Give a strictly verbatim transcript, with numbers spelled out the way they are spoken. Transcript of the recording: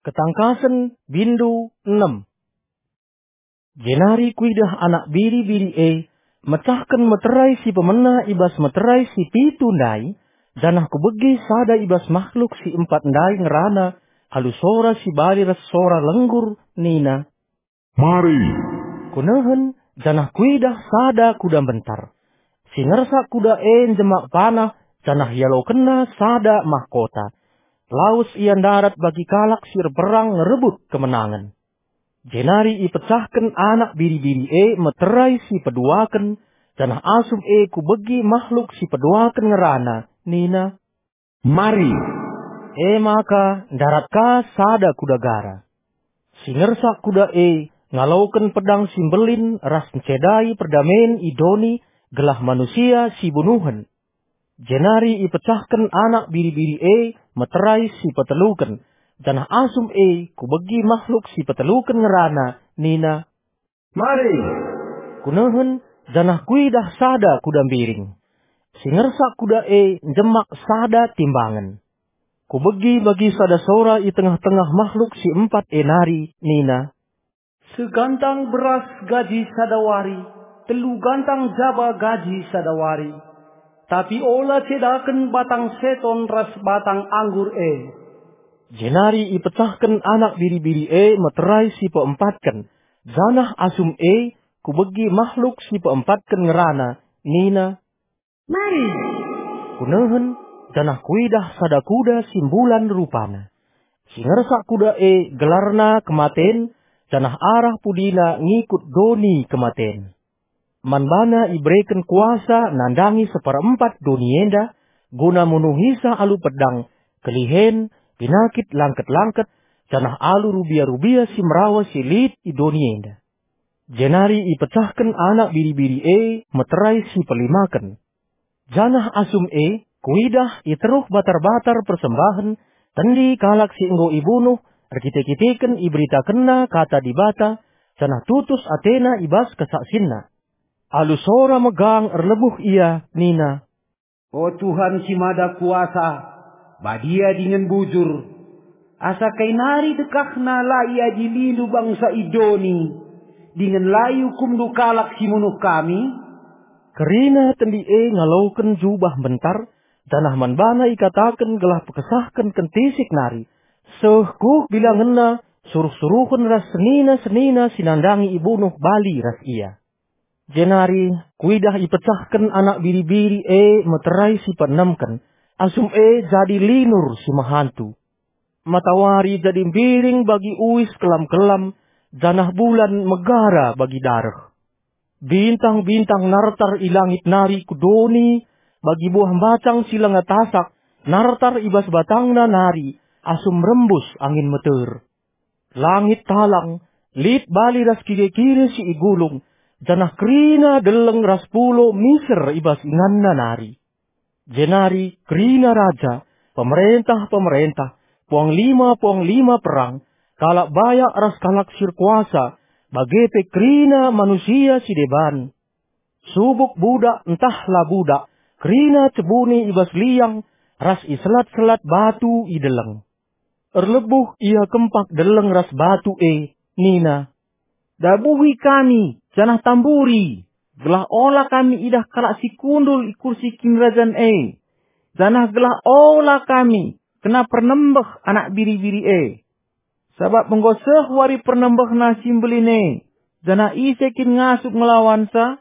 Ketangkasen, bindu enem. Jenari kuidah Anak Biri-biri e mecahken meterai si pemena i bas meterai si pitu ndai, janah kubegi sada i bas mahluk si empat ndai ngerana alu sora si bali ras sora lenggur nina, "Mari!" Kunehen, janah kuidah sada kuda mbentar. Si ngersak kuda e njemak panah, janah ialokenna sada mahkota. Lawes ia ndarat bagi kalak si erperang ngerebut kemenangen. Jenari ipecahken Anak Biri-biri e meterai si peduaken, janah asum e kubegi mahluk si peduaken ngerana, nina, "Mari!" E maka ndarat ka sada kuda gara. Si ngersak kuda e ngaloken pedang si mbelin ras ncedai perdamen i doni gelah manusia si bunuhen. Jenari ipecahken Anak Biri-biri e meterai si peteluken, janah asum e kubegi mahluk si peteluken ngerana, nina, "Mari!" Kunehen, janah kuidah sada kuda mbiring. Si ngersak kuda e njemak sada timbangen. Kubegi bagi sada sora i tengah-tengah mahluk si empat e nari nina, "Segantang beras gaji sada wari, telu gantang jaba gaji sada wari. Tapi ola cedaken batang seton ras batang anggur e." Jenari ipecahken Anak Biri-biri e meterai si peempatken, janah asum e kubegi mahluk si peempatken ngerana, nina, "Mari!" Kunehen, janah kuidah sada kuda si mbulan rupana. Si ngersak kuda e gelarna Kematen, janah arah pudina ngikut doni kematen. Man bana ibereken kuasa nandangi seperempat doni enda, guna munuhisa alu pedang, kelihen, pinakit langket-langket, janah alu rubia-rubia si merawa si lit i doni enda. Jenari ipecahken Anak Biri-biri e meterai si pelimaken. Janah asum e kuidah i teruh batar-batar persembahen, tendi kalak si enggo ibunuh, erkite-kiteken iberitakenna kata Dibata, janah tutus atena i bas kesaksinna. Alu sora megang erlebuh ia nina, "O Tuhan si Mada Kuasa, badia dingen bujur, asa kai nari dekahna la iadilindu bangsa i doni, dingen la iukumndu kalak si munuh kami?" Kerina tendi e ngaloken jubah mbentar, janah man bana ikataken gelah pekesahken kentisik nari, seh kuh bilangenna suruh-suruhen ras senina-senina si nandangi ibunuh bali ras ia. Jenari kuidah ipecahken Anak Biri-biri e meterai si peenemken, asum e jadi linur si mehantu. Matawari jadi mbiring bagi uis kelam-kelam, janah bulan megara bagi dareh. Bintang-bintang nartar i langit nari ku doni, bagi buah mbacang si langa tasak, nartar i bas batangna nari, asum rembus angin meter. Langit talang, lit bali ras kire-kire si igulung, janah kerina deleng ras pulo miser i bas inganna nari. Jenari kerina raja, pemerentah-pemerentah, puanglima-puanglima perang, kalak bayak ras kalak si erkuasa, bage pe kerina manusia si deban. Subuk budak ntah la budak, kerina cebuni i bas liang, ras i selat-selat batu i deleng. Erlebuh ia kempak deleng ras batu e, nina, "Dabuhi kami, janah tamburi, gelah ola kami idah kalak si kundul i kursi kinirajan e, janah gelah ola kami kena pernembeh Anak Biri-biri e. Sabap enggo seh wari pernembehna si mbelin e, janah ise kin ngasup ngelawansa?"